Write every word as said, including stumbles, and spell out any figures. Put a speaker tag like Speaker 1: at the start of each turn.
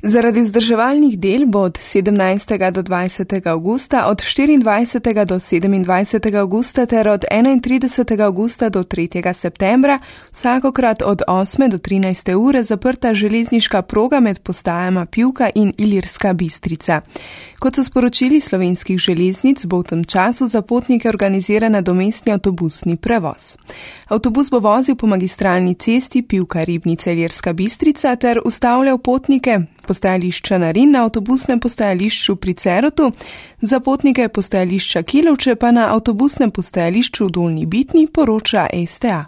Speaker 1: Zaradi vzdrževalnih del bo od sedemnajstega do dvajsetega avgusta, od štiriindvajsetega do sedemindvajsetega avgusta ter od enaintridesetega avgusta do tretjega septembra vsakokrat od osme do trinajste ure zaprta železniška proga med postajama Pivka in Ilirska Bistrica. Kot so sporočili Slovenskih železnic, bo v tem času za potnike organiziran nadomestni avtobusni prevoz. Avtobus bo vozil po magistralni cesti Pivka-Ribnica Ilirska Bistrica ter ustavljal potnike postajališča Narin na avtobusnem postajališču pri Cerotu, za potnike postajališča Kilovče pa na avtobusnem postajališču v Dolnji Bitni, poroča S T A.